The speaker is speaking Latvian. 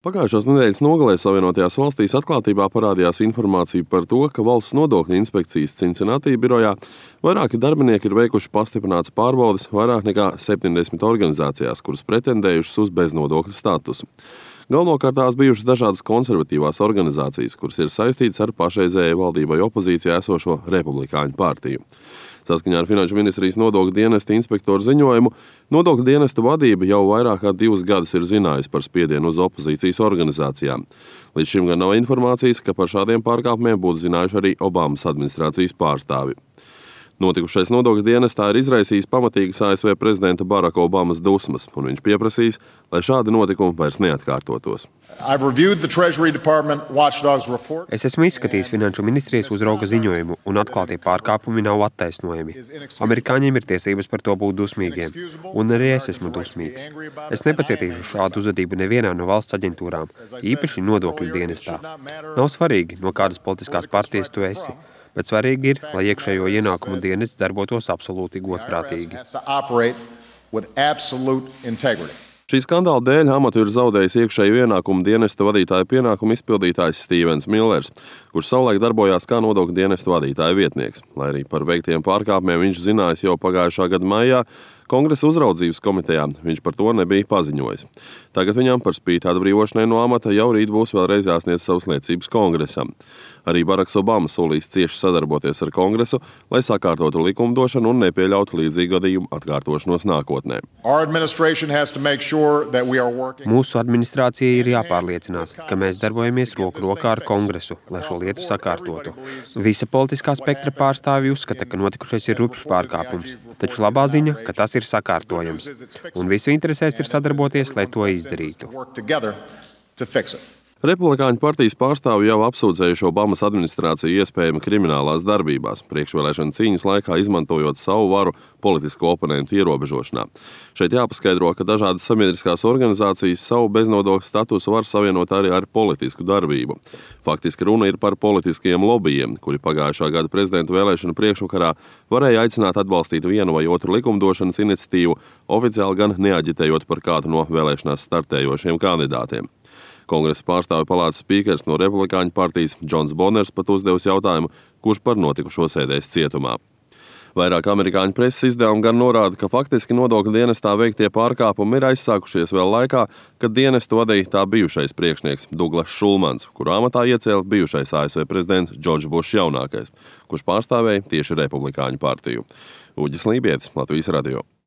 Pagājušās nedēļas nogalē Savienotajās valstīs atklātībā parādījās informācija par to, ka Valsts nodokļu inspekcijas Cincinnati birojā vairāki darbinieki ir veikuši pastiprinātas pārbaudes vairāk nekā 70 organizācijās, kuras pretendējušas uz beznodokļu statusu. Galvenokārt tās bijušas dažādas konservatīvās organizācijas, kuras ir saistītas ar pašreizējai valdībai opozīcijā esošo Republikāņu partiju. Saskaņā ar Finanšu ministrijas nodokļu dienesta inspektoru ziņojumu, nodokļu dienesta vadība jau vairāk kā 2 gadus ir zinājusi par spiedienu uz opozīcijas organizācijām. Līdz šim gan nav informācijas, ka par šādiem pārkāpumiem būtu zinājuši arī Obamas administrācijas pārstāvi. Notikušais nodokļu dienestā ir izraisījis pamatīgas ASV prezidenta Baraka Obamas dusmas, un viņš pieprasīs, lai šādi notikumi vairs neatkārtotos. Es esmu izskatījis Finanšu ministrijas uzrauga ziņojumu, un atklātie pārkāpumi nav attaisnojami. Amerikāņiem ir tiesības par to būt dusmīgiem, un arī es esmu dusmīgs. Es nepacietīšu šādu uzvedību nevienā no valsts aģentūrām, īpaši nodokļu dienestā. Nav svarīgi, no kādas politiskās partijas tu esi. Bet svarīgi ir, lai iekšējo ienākumu dienests darbotos absolūti godprātīgi. Šī skandāla dēļ amatu ir zaudējis iekšējo ienākumu dienesta vadītāja pienākumu izpildītājs Stevens Millers, kurš savulaik darbojās kā nodokļu dienesta vadītāja vietnieks. Lai arī par veiktiem pārkāpumiem viņš zinājis jau pagājušā gada maijā, Kongresa uzraudzības komitejā viņš par to nebija paziņojis. Tagad viņam par spīti atbrīvošanai no amata jau rīt būs vēlreiz jāsniedz savas liecības Kongresam. Arī Baraks Obama solīs cieši sadarboties ar Kongresu, lai sakārtotu likumdošanu un nepieļautu līdzīgu gadījumu atkārtošanos nākotnē. Mūsu administrācija ir jāpārliecinās, ka mēs darbojamies roku rokā ar Kongresu, lai šo lietu sakārtotu. Visa politiskā spektra pārstāvji uzskata, ka notikušais ir rupjš pārkāpums, taču labā ziņa, ka tas ir sakārtojams, un visu interesēs ir sadarboties, lai to izdarītu. Republikāņu partijas pārstāvji jau apsūdzējuši Obamas administrāciju iespējami kriminālās darbībās, priekšvēlēšana cīņas laikā izmantojot savu varu politisko oponentu ierobežošanā. Šeit jāpaskaidro, ka dažādas sabiedriskās organizācijas savu beznodokļu statusu var savienot arī ar politisku darbību. Faktiski runa ir par politiskiem lobbyiem, kuri pagājušā gada prezidenta vēlēšanu priekšvakarā varēja aicināt atbalstīt vienu vai otru likumdošanas iniciatīvu, oficiāli gan neaģitējot par kādu no vēlēšanās startējošiem kandidātiem. Kongresa pārstāvju palātas spīkers no Republikāņu partijas Džons Boners pat uzdevis jautājumu, kurš par notikušo sēdēs cietumā. Vairāk amerikāņu preses izdevumi gan norāda, ka faktiski nodokļu dienestā veiktie pārkāpumi ir aizsākušies vēl laikā, kad dienestu vadīja tā bijušais priekšnieks Douglass Šulmans, kuru amatā iecēla bijušais ASV prezidents Džordžs Bušs jaunākais, kurš pārstāvēja tieši Republikāņu partiju. Uģis Lībietis, Latvijas radio.